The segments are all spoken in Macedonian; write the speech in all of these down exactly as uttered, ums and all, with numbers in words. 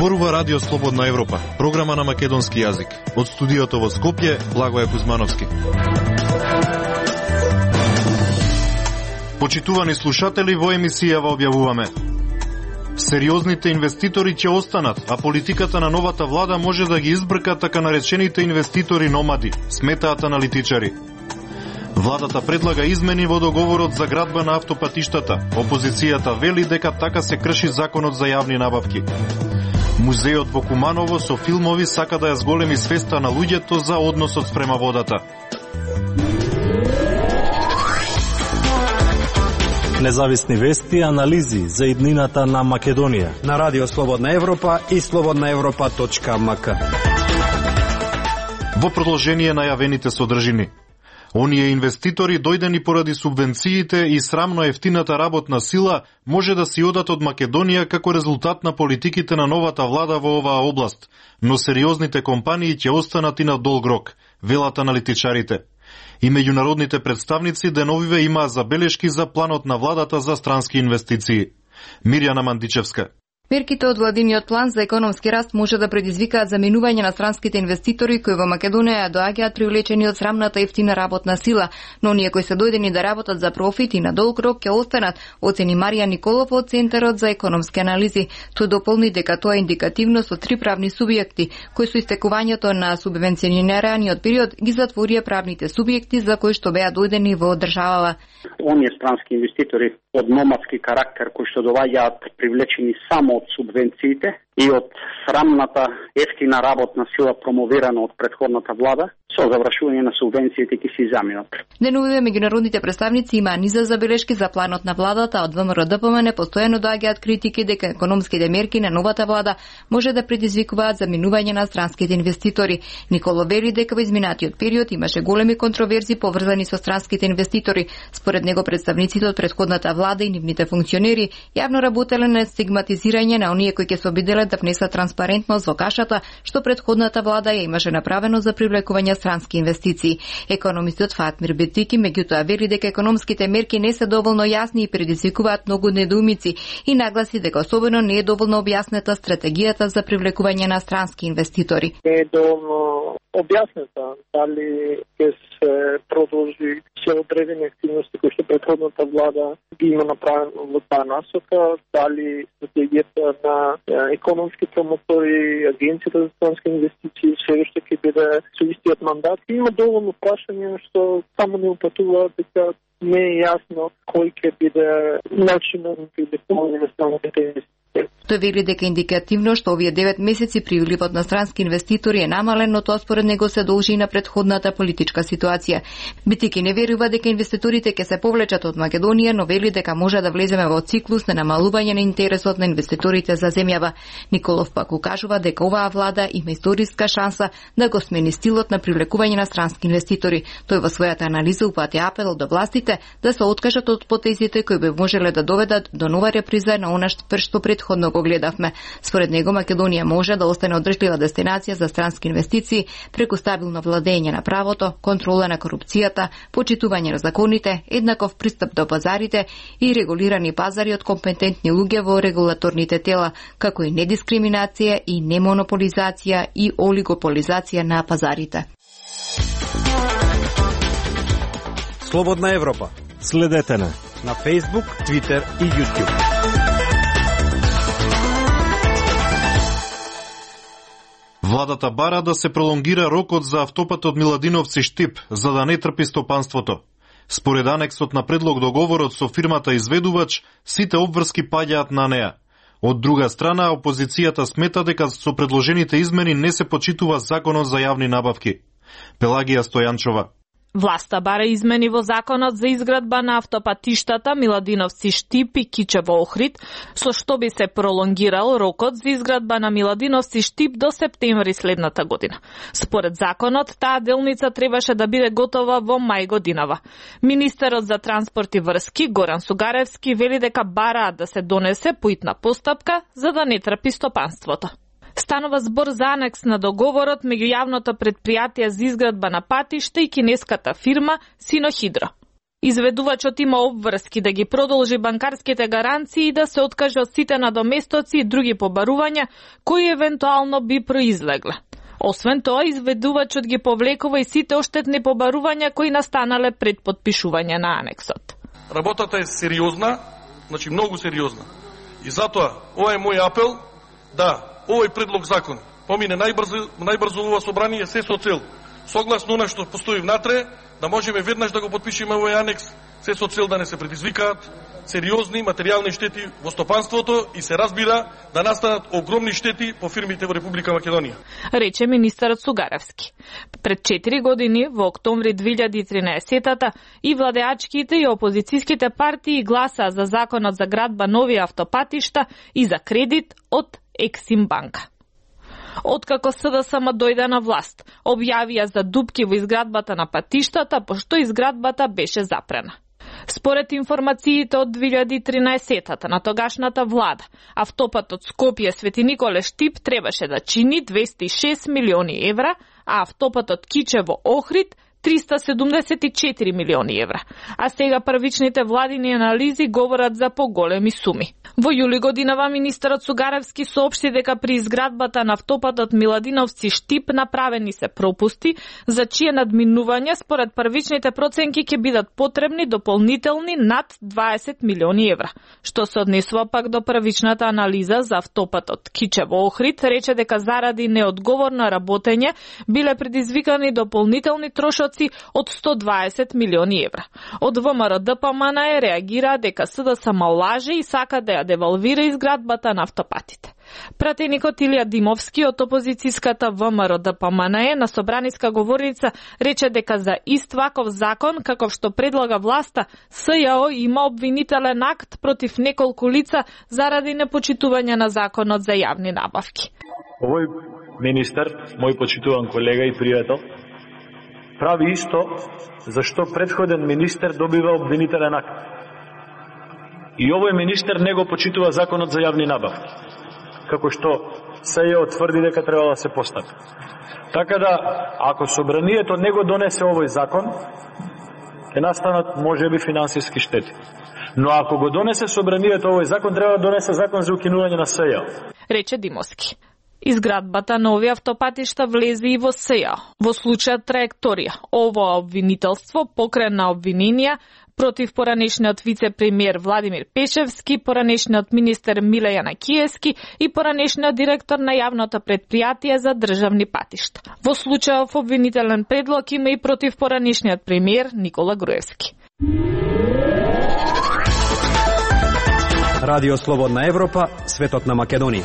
Зборува Радио Слободна Европа, програма на македонски јазик. Од студиото во Скопје, Благоје Кузмановски. Почитувани слушатели, во емисијава објавуваме: сериозните инвеститори ќе останат, а политиката на новата влада може да ги избрка така наречените инвеститори номади, сметаат аналитичари. Владата предлага измени во договорот за градба на автопатиштата. Опозицијата вели дека така се крши законот за јавни набавки. Музеот во Куманово со филмови сака да ја зголеми свеста на луѓето за односот спрема водата. Независни вести и анализи за иднината на Македонија на Радио Слободна Европа и слободна европа точка ем ка. Во продолжение на јавените содржини. Оние инвеститори дојдени поради субвенциите и срамно ефтината работна сила може да си одат од Македонија како резултат на политиките на новата влада во оваа област, но сериозните компании ќе останат и на долг рок, велат аналитичарите. И меѓународните представници деновиве имаа забелешки за планот на владата за странски инвестиции. Мирјана Мандичевска. Мерките од владиниот план за економски раст може да предизвикаат заминување на странските инвеститори кои во Македонија доаѓаат привлечени од срамната ефтина работна сила, но оние кои се дојдени да работат за профит и на долг рок ќе останат, оцени Марија Николов од Центарот за економски анализи. Тој дополни дека тоа е индикативно со три правни субјекти, кои со истекувањето на субвенционираниот период ги затворија правните субјекти за кои што беа дојдени во државава. Оние странски инвеститори од номадски карактер кои што доаѓаат привлечени само од субвенциите и од срамната ефтина работна сила промовирана од претходната влада, со завршување на субвенциите ќе си заминат. Деновиве меѓународните представници имаа низа забелешки за планот на владата, од ВМРО-ДПМН постојано доаѓаат критики дека економските мерки на новата влада може да предизвикуваат заминување на странските инвеститори. Николо вели дека во изминатиот период имаше големи контроверзи поврзани со странските инвеститори. Според него представниците од претходната влада и нивните функционери јавно работеле на стигматизирање на оние кои ќе се обиделе да внесат транспарентност во кашата што претходната влада ја имаше направено за привлекување странски инвестиции. Економистот Фатмир Бетики меѓутоа вели дека економските мерки не се доволно јасни и предизвикуваат многу недоумици и нагласи дека особено не е доволно објаснета стратегијата за привлекување на странски инвеститори. Не е доволно објаснета дали ќе се продолжи се одредени активности кои што претходната влада ги има направено во таа насока, дали стратегијата на економски промотори, агенцијата за странски инвестиции се уште ќе биде со истиот мандат. Има доволно прашања што само не упатуваат дека не е јасно кој ќе биде начинот на привлекување на странските инвестиции. Тој вели дека индикативно што овие девет месеци приливот на странски инвеститори е намален, но тоа според него се должи и на претходната политичка ситуација. Битики не верува дека инвеститорите ќе се повлечат од Македонија, но вели дека може да влеземе во циклус на намалување на интересот на инвеститорите за земјава. Николов пак укажува дека оваа влада има историска шанса да го смени стилот на привлекување на странски инвеститори. Тој во својата анализа упати апел до властите да се откажат од потезите кои би можеле да доведат до нова реприза на она што претходно го гледавме. Според него Македонија може да остане одржлива дестинација за странски инвестиции преку стабилно владење на правото, контрола на корупцијата, почитување на законите, еднаков пристап до пазарите и регулирани пазари од компетентни луѓе во регулаторните тела, како и недискриминација и немонополизација и олигополизација на пазарите. Слободна Европа. Следете на на Facebook, Twitter и YouTube. Владата бара да се пролонгира рокот за автопатот Миладиновци-Штип, за да не трпи стопанството. Според анексот на предлог договорот со фирмата изведувач, сите обврски паѓаат на неа. Од друга страна, опозицијата смета дека со предложените измени не се почитува законот за јавни набавки. Пелагија Стојанчова. Власта бара измени во законот за изградба на автопатиштата Миладиновци-Штип и Кичево-Охрид, со што би се пролонгирал рокот за изградба на Миладиновци-Штип до септември следната година. Според законот, таа делница требаше да биде готова во мај годинава. Министерот за транспорт и врски Горан Сугаревски вели дека бараат да се донесе поитна постапка за да не трпи стопанството. Станува збор за анекс на договорот меѓу јавното претпријатие за изградба на патишта и кинеската фирма Синохидро. Изведувачот има обврски да ги продолжи банкарските гаранции и да се откаже од сите надоместоци и други побарувања кои евентуално би произлегле. Освен тоа, изведувачот ги повлекува и сите оштетни побарувања кои настанале пред подпишување на анексот. Работата е сериозна, значи многу сериозна. И затоа, ова е мој апел, да, овој предлог закон помине најбрзо, најбрзо ова собрание се со цел. Согласно она што постои внатре, да можеме веднаш да го подпишеме овој анекс, се со цел да не се предизвикаат сериозни материјални штети во стопанството и се разбира да настанат огромни штети по фирмите во Република Македонија. Рече министерот Сугаревски. Пред четири години, во октомври две илјади и тринаесетта, и владеачките и опозицијските партии гласаа за законот за градба нови автопатишта и за кредит од Ексим банка. Откако СДСМ дојде на власт, објавија за дупки во изградбата на патиштата, пошто изградбата беше запрена. Според информациите од две илјади и тринаесетта на тогашната влада, автопатот Скопје Свети Николе Штип требаше да чини двесте и шест милиони евра, а автопатот Кичево Охрид триста седумдесет и четири милиони евра. А сега првичните владини анализи говорат за поголеми суми. Во јули годинава министерот Сугаревски соопшти дека при изградбата на автопатот Миладиновци Штип направени се пропусти, за чие надминување според првичните проценки ќе бидат потребни дополнителни над дваесет милиони евра. Што се однесува пак до првичната анализа за автопатот Кичево Охрид, рече дека заради неодговорно работење биле предизвикани дополнителни трошоци од сто дваесет милиони евра. Од ВМРО Д П М Н Е реагира дека СДСМ лаже и сака да ја девалвира изградбата на автопатите. Пратеникот Илија Димовски од опозицијската ВМРО Д П М Н Е на собраниска говорница рече дека за ист ваков закон, каков што предлага власта, С Ј О има обвинителен акт против неколку лица заради непочитување на законот за јавни набавки. Овој министер, мој почитуван колега и пријател, прави исто зашто претходен министер добива обвинителен акт. И овој министер не го почитува законот за јавни набавки, како што С Ј О тврди дека треба да се постапи. Така да, ако собранието не го донесе овој закон, ќе настанат можеби финансиски штети. Но ако го донесе собранието овој закон, треба да донесе закон за укинување на С Ј О. Рече Димовски. Изградбата на овие автопатишта влезе и во С Ј О. Во случајот Траекторија, ово обвинителство покрена обвиненија против поранешниот вице-премиер Владимир Пешевски, поранешниот министер Миле Јанакиевски и поранешниот директор на јавното претпријатие за државни патишта. Во случајов обвинителен предлог има и против поранешниот премиер Никола Груевски. Радио Слободна Европа, светот на Македонија.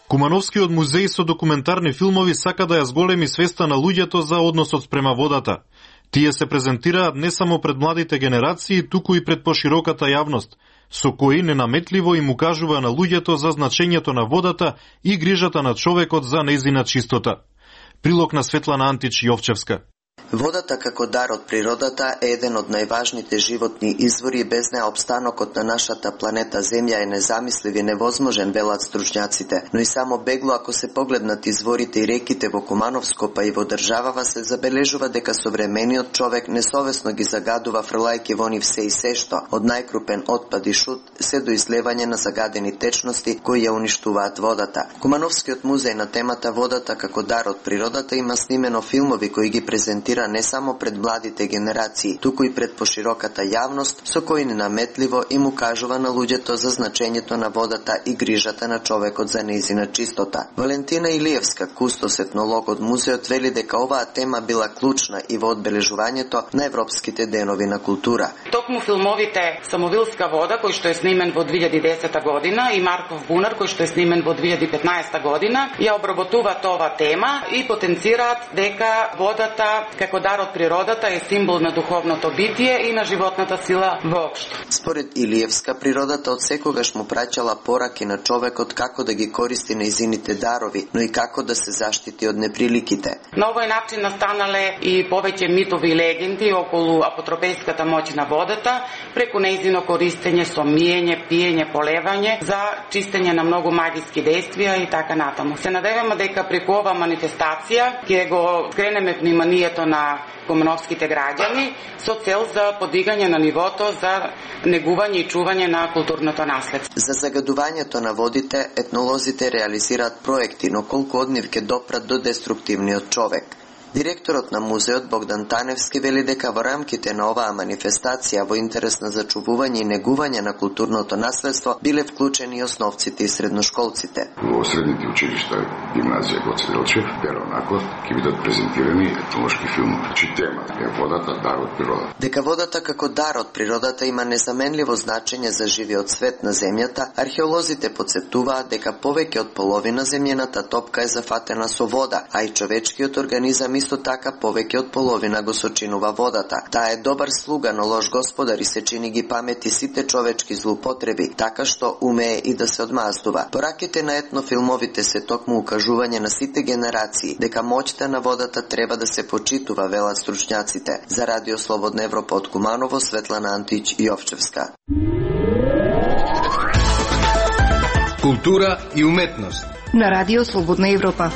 Кумановскиот музеј со документарни филмови сака да ја зголеми свеста на луѓето за односот спрема водата. Тие се презентираат не само пред младите генерации, туку и пред пошироката јавност, со кои ненаметливо им укажува на луѓето за значењето на водата и грижата на човекот за нејзина чистота. Прилог на Светлана Антич Јовчевска. Водата како дар од природата е еден од најважните животни извори и без неа обстанокот на нашата планета Земја е незамислив и невозможен, велат стручњаците. Но и само бегло ако се погледнат изворите и реките во Кумановско па и во државава се забележува дека современиот човек несовесно ги загадува фрлајќи во нив се и се што, од најкрупен отпад и шут се до излевање на загадени течности кои ја уништуваат водата. Кумановскиот музеј на темата водата како дар од природата има снимено филмови кои ги презентира не само пред младите генерации, туку и пред пошироката јавност, со кои ненаметливо им укажува на луѓето за значењето на водата и грижата на човекот за нејзина чистота. Валентина Илиевска, кустос етнолог од музеот, вели дека оваа тема била клучна и во одбележувањето на Европските денови на култура. Токму филмовите Самовилска вода, кој што е снимен во две илјади и десета година, и Марков бунар, кој што е снимен во две илјади и петнаесета година, ја обработуваат ова тема и потенцираат дека водата како дар од природата е символ на духовното битие и на животната сила воопшто. Според Илиевска, природата од секогаш му праќала пораки на човекот како да ги користи нејзините дарови, но и како да се заштити од неприликите. На овој начин настанале и повеќе митови и легенди околу апотропејската моќ на водата, преку нејзино користење со миење, пиење, полевање, за чистење на многу магиски действија и така натаму. Се надеваме дека преку ова манифестација ќе го скренеме вниманието здравјето на кумановските граѓани со цел за подигање на нивото за негување и чување на културното наследство. За загадувањето на водите, етнолозите реализираат проекти, но колку од нив ќе допрат до деструктивниот човек. Директорот на музеот Богдан Таневски вели дека во рамките на оваа манифестација во интерес на зачувување и негување на културното наследство биле вклучени и основците и средношколците. Во средните училишта, гимназија Гоце Делчев, веројатно ќе бидат презентирани етнолошки филмови. Чи тема е водата дар од природата. Дека водата како дар од природата има незаменливо значење за живиот свет на земјата, археолозите потсетуваат дека повеќе од половина земјената топка е зафатена со вода, а и човечкиот организам исто така повеќе од половина го сочинува водата. Таа е добар слуга, но лош господар и се чини ги памети сите човечки злоупотреби, така што умее и да се одмаздува. Пораките на етнофилмовите се токму укажување на сите генерации дека моќта на водата треба да се почитува, велат стручњаците. За Радио Слободна Европа од Куманово, Светлана Антич и Овчевска. Култура и уметност на Радио Слободна Европа.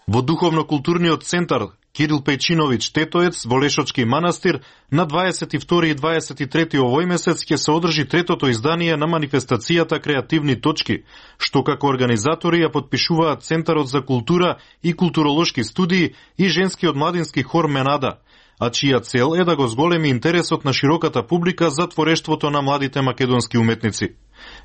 Во Духовно-културниот центар Кирил Пејчиновиќ Тетоец во Лешочки манастир на дваесет и втори и дваесет и трети овој месец ќе се одржи третото издание на манифестацијата Креативни точки, што како организатори ја подпишуваат Центарот за култура и културолошки студии и женскиот младински хор Менада, а чија цел е да го зголеми интересот на широката публика за творештвото на младите македонски уметници.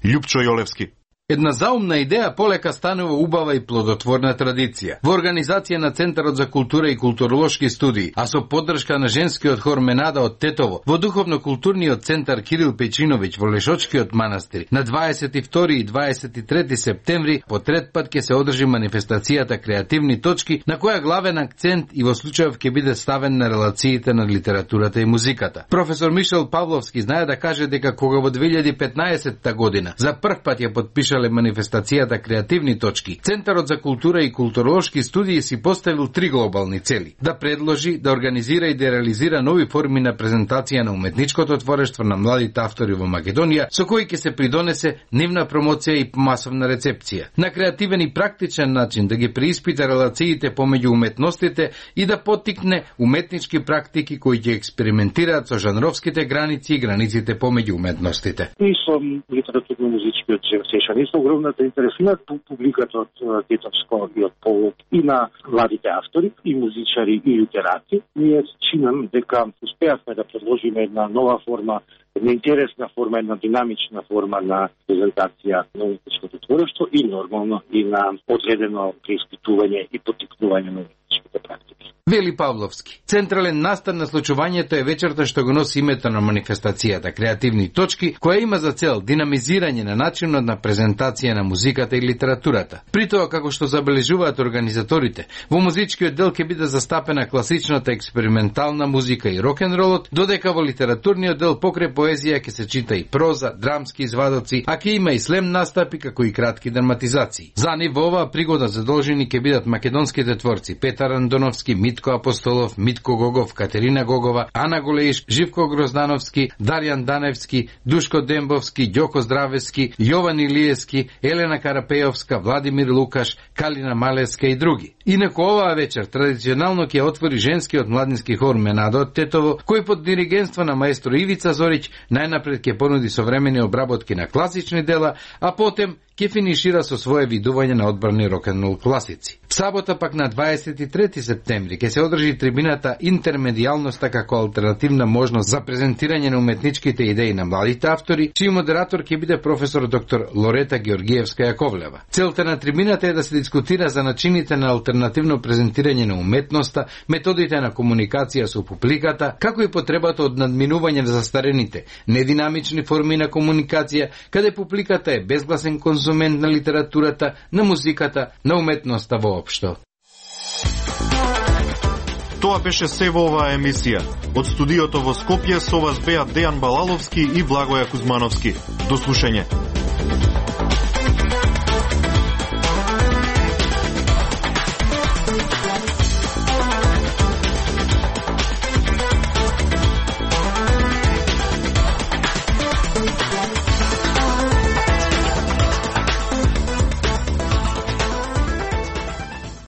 Љупчо Јолевски. Една заумна идеја полека станува убава и плодотворна традиција. Во организација на Центарот за култура и културолошки студии, а со поддршка на женскиот хор Менада од Тетово, во Духовно-културниот центар Кирил Пејчиновиќ во Лешочкиот манастир, на дваесет и втори и дваесет и трети септември по трет пат ќе се одржи манифестацијата Креативни точки, на која главен акцент и во случајов ќе биде ставен на релациите на литературата и музиката. Професор Мишел Павловски знае да каже дека кога во две илјади и петнаесетта година за прв пат ја подпиша манифестацијата Креативни точки, Центарот за култура и културолошки студии си поставил три глобални цели: да предложи, да организира и да реализира нови форми на презентација на уметничкото творештво на младите автори во Македонија, со кои ќе се придонесе нивна промоција и масовна рецепција. На креативен и практичен начин да ги преиспита релациите помеѓу уметностите и да поттикне уметнички практики кои ќе експериментираат со жанровските граници и границите помеѓу уметностите. И со литературно-музичкиот сешан со огромната интересна публиката од Тетовско и од Полог и на младите автори, и музичари, и литерати. Ние чинам дека успеавме да предложиме една нова форма, една интересна форма, една динамична форма на презентација на уметничкото творештво и нормално и на одредено преиспитување и поттикнување на уметничките практики. Вели Павловски. Централен настан на случувањето е вечерта што го носи името на манифестацијата Креативни точки, која има за цел динамизирање на начинот на презентација на музиката и литературата. При тоа, како што забележуваат организаторите, во музичкиот дел ќе биде застапена класичната експериментална музика и рок-н-ролот, додека во литературниот дел покрај поезија ќе се чита и проза, драмски извадоци, а ќе има и слем настапи како и кратки драматизации. За нив во оваа пригода задолжени ќе бидат македонските творци Петар Андоновски, Митко Апостолов, Митко Гогов, Катерина Гогова, Ана Голеиш, Живко Гроздановски, Дарјан Даневски, Душко Дембовски, Ѓоко Здравески, Јован Илиевски, Елена Карапејовска, Владимир Лукаш, Калина Малеска и други. Инаку оваа вечер традиционално ќе отвори женскиот младински хор Менада од Тетово, кој под диригентство на маестро Ивица Зориќ најнапред ќе понуди современи обработки на класични дела, а потем ќе финишира со свое видување на одбрани рок-н-рол класици. В сабота пак на дваесет и трети септември ќе се одржи трибината Интермедијалноста како алтернативна можност за презентирање на уметничките идеи на младите автори, чиј модератор ќе биде професор доктор Лорета Георгиевска Јаковлева. Целта на трибината е да се дискутира за начините на алтернативно презентирање на уметноста, методите на комуникација со публиката, како и потребата од надминување на застарените, нединамични форми на комуникација, каде публиката е безгласен конзумент на литературата, на музиката, на уметноста воопшто. Тоа беше се во оваа емисија. Од студиото во Скопје со вас беа Дејан Балаловски и Благоја Кузмановски. До слушање.